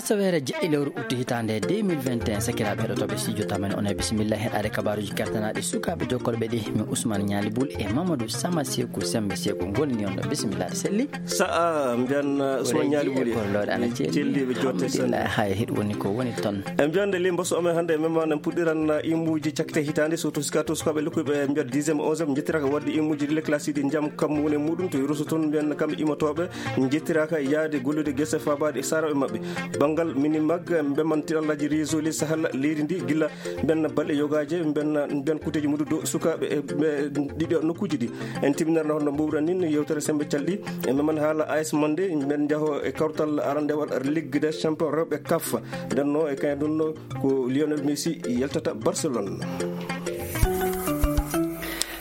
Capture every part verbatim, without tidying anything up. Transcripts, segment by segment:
Asaweere jeɗɗi lewru utu hitaande deux mille vingt et un, sakiraaɓe heɗotooɓe studio tamani, on e bisimilla heɗaade kabaaruuji kertanaaɗi sukaaɓe jokkorɓe ɗi. Min Ousmane Ñaali Bul e Mamadou Sama Seeku, Sembe Seeku, ngoni on ɗo. Bisimilla, selli. Sa'a mbiyan, uh, Usman Ñaali Buli. Celliiɓe jotte. Alhamdulillah, hay hiɗ woni ko woni ton. E mbiyan nde limbo so omen hannde e memma en puɗɗiran, uh, imuuji cakkite hitaande, surtout sika to sukaaɓe lukkuɓe e mbiyan dixième, onzième, njettiraaka waɗde imuuji ɗi le classe ɗi jam kammu woni muɗum to Yurusu toon, mbiyan kamɓe imotooɓe njettiraaka yaade gollude gese faabaade e saaraaɓe maɓɓe. Banngal mini mag, mbeman tiɗallaaji réseau les Sahel leydi ndi gila mbiyan balɗe yogaaje, mbiyan, mbiyan kuuteeji muɗum dow sukaaɓe e, e ɗiɗo nokkuuji ɗi. En timinarno hono mbuuɓran nin yewtere Sembe Calɗi. E meman haala A S Monde, men njaho e kawtal arandewal Ligue des Champions rewɓe kaf. Ndenno e kañum ɗum ɗo ko Lionel Messi yaltata Barcelone.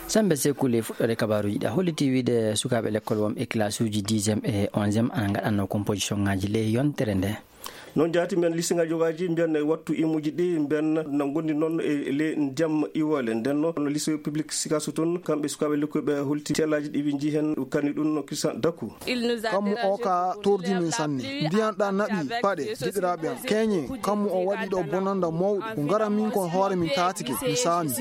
Sembe Sekuli, fuɗɗoode kabaaruuji ɗi, a holliti wiide sukaaɓe lekkol won e classe uji dixième e onzième ana ngaɗanno composition ŋaaji ley yontere nde. Noon jaati mbiyan lycée ngaji yogaaji mbiyan e wattu imuuji ɗi mbiyan na ngondi noon e le jam iwale. Nden noon no lycée public Sikasso toon, kamɓe sukaaɓe lekkuɓe holti tellaaji ɗi ɓe njii heen, kani ɗum no Christian Daku. Kammu o ka tordi min sanne. Ndiyan ɗan naɓi paɗe, jiɗiraaɓe am. Keñe, kammu o waɗi ɗo bonanda mawɗo. Ko ngaran min kon hoore min taatike, mi saami.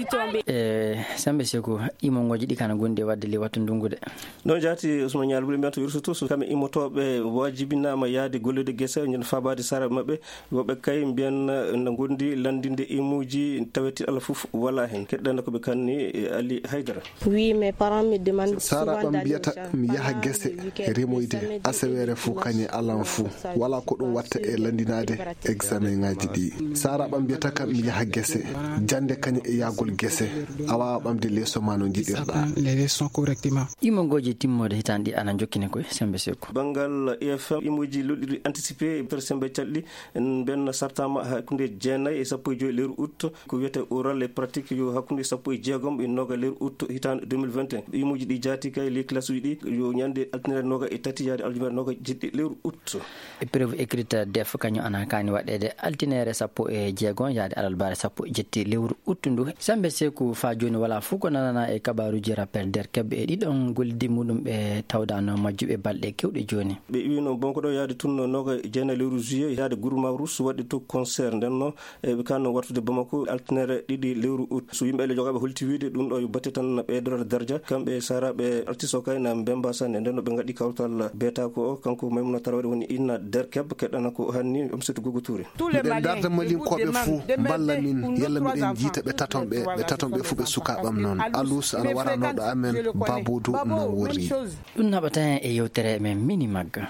E, Sembe Seku, imongooji ɗi kana gondi e waɗde le wattu ndungu de. Noon jaati Ousmane Ñaali Buli mbiyan to Yursutu, so kamɓe immotooɓe waajibinaama yahde gollude gese, ñande faabaade sara maɓɓe, woɓɓe kay mbiyan, eh, na ngondi lanndinde imuuji, tawete Allah fof wala heen. Keɗɗana ko ɓe kanni, eh, Ali Haydara. Oui, mes parents me demandent souvent d'aller au champ. Sara ɓam mbiyata mi yaha gese remoyde asaweere fof kañe alan fof. Wala ko ɗum watta e lanndinaade examen ŋaaji ɗi. Sara ɓam mbiyata kam mi yaha gese jannde kañe e yahgol gese. A waawa ɓamde leeso ma no njiɗirɗa. Les leçons correctement. Imongooji timmoode hitaande ɗi ana jokkini koye Sembe Seku. Banngal I F M, imuuji luɗɗiɗi anticipé, to Sembe Calɗi, en mbenna sartama hakkunde jeenayi e sappo e joy lewru août, ko wiyete oral et pratique yo hakkunde sappo e jeegom e nooga lewru août hitaande deux mille vingt et un. Imuuji ɗi jaati kay, les classes uji ɗi, yo ñande altine nooga e tati yaade aljuma nooga e jeɗɗi lewru août. Épreuve écrite def kañum ana kaani waɗeede altine sappo e jeegom yaade alarba sappo e jetti lewru août ndu. Sembe Seku, faa jooni wala fof ko nanana e kabaaruuji rappeur Derkeb e ɗiɗon gollidi muɗum ɓe tawdano majjuɓe balɗe kewɗe jooni. Ɓe iwino bonko ɗo yaade tun nooga e jeenayi lewru juillet yaade Guru Mavrus waɗde to concert ndenno. E ɓe kanno wartude Bamako altinere ɗiɗi lewru août. So yimɓe ele jogaaɓe holti wiide ɗum ɗo yo batte tan ɓeydorade darja, kamɓe saraɓe artiste o kay na Mbemba Sane. Nden no ɓe ngaɗi kawtal beeta ko o, kanko Maymuna Tarawede woni inna Derkeb, keɗɗana ko hanni Amsatou Gogo Touré. Miɗen darda Malinkooɓe fuu mballa min, yalla miɗen jiita ɓe taton ɓe, ɓe taton ɓe fuu ɓe sukaaɓam noon. Alus ana wara nooɗo amen, Babodu no worri. Ɗum naɓata en e yewtere men mini magga.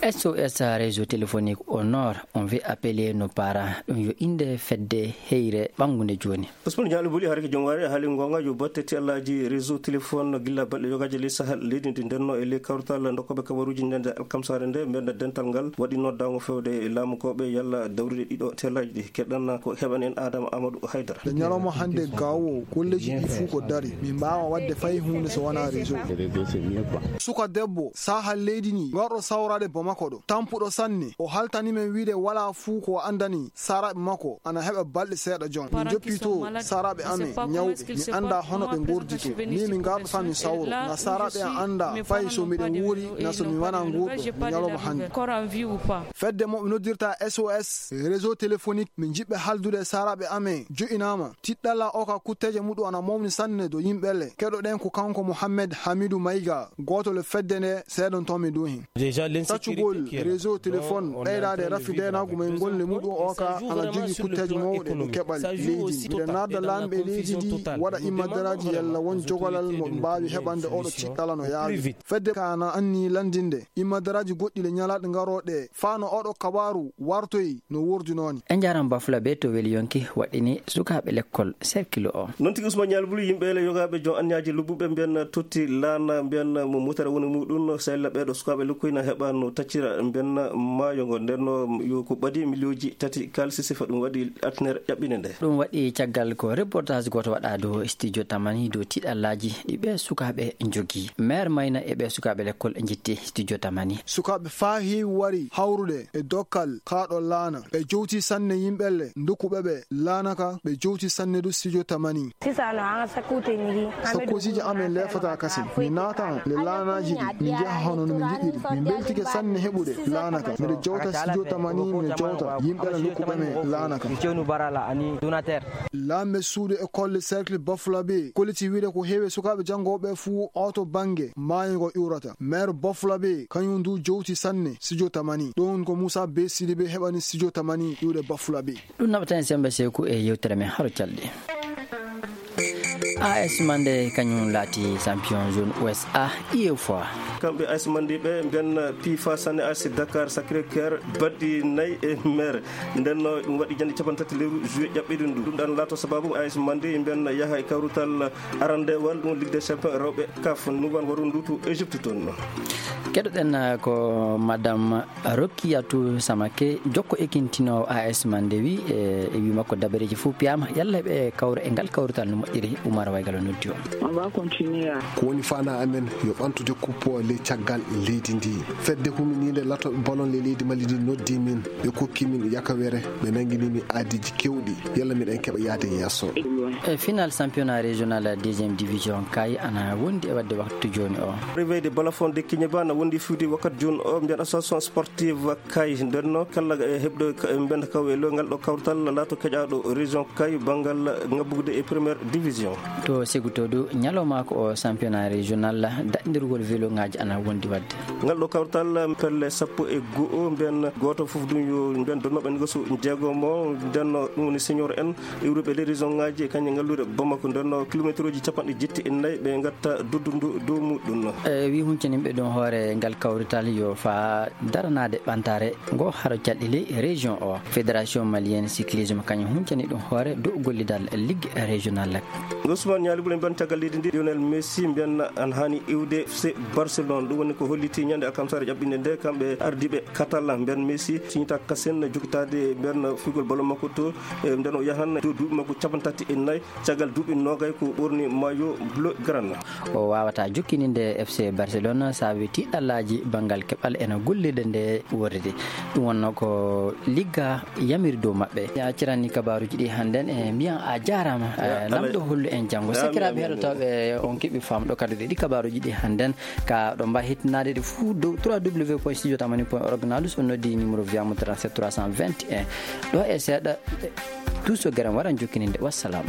S O S réseau téléphonique au nord, on veut appeler nos parents. Ɗum yo innde fedde heyre ɓanngunde jooni. Ousmane Diallo Buli, harke jom waare, haali ngonga, yo batte ti Allaji réseau téléphone gilla balɗe yogaaji ley Sahel leydi ndi ndenno e ley kawrital dokkooɓe kabaruuji ndende alkamsaare nde, mbenda dental ngal waɗi noddaango fewde e laamu koɓe yalla dawrude ɗiɗo telaji ɗi. Keɗɗan ko heɓan en Adama Amadou Haydara. Nde ñalawma hannde gawo, golleji ɗi fuu ko dari. Min mbaawa waɗde fay huunde so wonaa réseau. Suka debbo, saha leydi ni, ngarɗo sawraade Bamako ɗo. Tampuɗo sanne, o haltani men wiide wala fuu ko o anndani saraɓe makko, ana heɓa balɗe seeɗa jon. Min joppi to saraɓe amen ñawɓe, mi annda hono ɓe ngordi to. Min mi ngarɗo tan mi sawro. Na saraɓe an annda fay so miɗen wuuri, na so mi wana ngurɗo, mi ñalawma hannde. Fedde mo ɓe noddirta S O S, réseau téléphonique, min njiɗɓe haldude e saraɓe amen, jo'inaama. Tiɗɗalla o ka kutteeje muɗum ana mawni sanne do yimɓe le. Keɗoɗen ko kanko Mohamed Hamidou Maïga, gooto le fedde nde seedontomi ɗum hen. Taccugol réseau téléphone, ɓeydaade rafi deenaagu men ngol le muɗum o ka ana jogii kutteeje mawɗe ɗo keɓal leydi ndi. Miɗen naada laamɓe leydi ndi waɗa immadaraaji yalla won jogolal mo ɓe mbaawi heɓande oɗo tiɗɗalla no yaawi. Fedde ka ana anni lanndinde immadaraaji goɗɗi le ñalaaɗe ngarooɗe faa no oɗo kabaaru wartoyi no wordinoo ni. En njaaraama Bafulaɓe to weli yonki waɗɗini sukaaɓe lekkol cercle o. Noon tigi Ousmane Ñaali Buli, yimɓe le yogaaɓe jom anniyaaji lobbuɓe mbiyan totti laana mbiyan mo mutara woni muɗum, sella ɓeeɗo sukaaɓe lekkoy na heɓa no taccira mbiyan maayo ngo. Nden no yo ko ɓadi miliyonji tati kaalisi sifa ɗum waɗi altinere ƴaɓɓinde nde. Ɗum waɗi caggal ko reportage gooto waɗa dow studio Tamani dow tiɗallaaji ɗi ɓe sukaaɓe njogii. Maire Mayna e ɓe sukaaɓe lekkol njitti studio Tamani. Sukaaɓe faa heewi wari hawrude e dokkal kaa ɗo laana. Ɓe jowti sanne yimɓe le, ndokuɓe ɓe laana ka, ɓe jowti sanne du studio Tamani. Sisan nɔ, an ka sakkuti ɲigi. An bɛ sakkuti dugu amen min na lefata kasi. Min naata le laanaaji ɗi, min njaha hono no min njiɗiri. Min mbeltike sanne Heɓude laana ka. Miɗo jowta studio tamani, miɗo jowta yimɓe ala nokku ɓe men laana ka. Laamɓe suudu e kolle cercle Bafulabe kolliti wiide ko heewi sukaaɓe janngooɓe fuu oto bannge maayo ngo iwrata. Maire Bafulabe kañum ndu jowti sanne studio tamani. Ɗum ko Moussa Be Sidibé heɓani studio tamani iwde Bafulabe. Ɗum naɓata en sembe seeku e yewtere men haro calɗi. A S Mande kañum laati champion zone Ouest A, U E F A. Kamɓe A S Mande ɓe mbiyan piifa sanne A S Dakar Sacré Cœur baɗɗi nayi e mere. Nden no ɗum waɗi jannde capanɗe tati lewru juillet ƴaɓɓiɗo ndu. Ɗum ɗan laato sababu A S Mande mbiyan yaha e kawrutal arandewal ɗum Ligue des Champions rewɓe kaf nuban waru ndu to Égypte toon. Keɗoɗen ko Madame Rokiyatou Samake, jokko ekintinoowo A S Mande wi, e, e wi makko dabareeji fof piyaama, yalla ɓe kawra e ngal kawrital no moƴƴiri, Oumar Waygal o noddi o. On va continuer à Ko woni faanaa amen yo ɓamtude kuppo ley caggal leydi ndi. Fedde huminiinde lato ballon ley leydi Mali ndi noddi min, ɓe kokki min yakawere, ɓe nanngini min aadiiji keewɗi, yalla miɗen keɓa yahde yeeso. E final championnat régional deuxième division kay ana wondi e waɗde waktu jooni o. Réveil de Balafon de Kignaba na wondi fiwde wakkat jooni o, mbiyan association sportive Kay, nden no kala e heɓde ka-, e mbenda kaw e lo ngal ɗo kawtal laato keƴaaɗo région Kay banngal ngabbude e première division. To Segutodu, ñalawmaako o championnat régional, daɗndirgol velo ŋaaji ana wondi waɗde. Ngal ɗo kawtal pelle sappo e go'o, mbiyan gooto fof ɗum yo mbiyan donnoɓe ngasu jeegomo, nden no ɗum woni senior en, iwruɓe ley région ŋaaji e kañum ngalluure Bamako, nden no kilometre uji capanɗe jetti e nayi ɓe ngatta duddundu dow muɗum. E wi huncaniɓe ɗum hoore ngal kawrital yo fa daranaade ɓantaare ngo haro calɗi ley région o. Fédération malienne cyclisme kañum huncani ɗum hoore dow gollidal ligue régional. Ousmane Ñaali Bule mbiyan caggal leydi ndi, Lionel Messi mbiyan an haani iwde F C Barcelone. Ɗum woni ko holliti ñande alkamsare ƴaɓɓinde nde, kamɓe ardiiɓe Catalan mbiyan Messi siñita kasen jokitaade mbiyan fugol ballon makko to, e nden o yahan dow duuɓi makko capanɗe tati e nayi. Caggal duuɓi noogay ko ɓorni maillot bleu grana. O waawata jokkininde F C Barcelone saabi tiiɗallaaji banngal keɓal ena gollirde nde worride. Ɗum wonno ko ligga yamiri dow maɓɓe. Ya cirani kabaruuji ɗi hannden e mbiyan a jaaraama. Ya, eh, lamɗo hollu en janngo. Amin, sakiraaɓe amin, heɗotooɓe, on keɓi famɗo kadi ɗi kabaruuji ɗi hannden ka ɗo mbawi hettinaade ɗi fuu dow trois W point studio tamani point org, na dus on noddi numéro viyamo trente-sept trois cent vingt et un. Ɗo e seeɗa, eh, Duuso Garam waran jokkininde. Wassalam.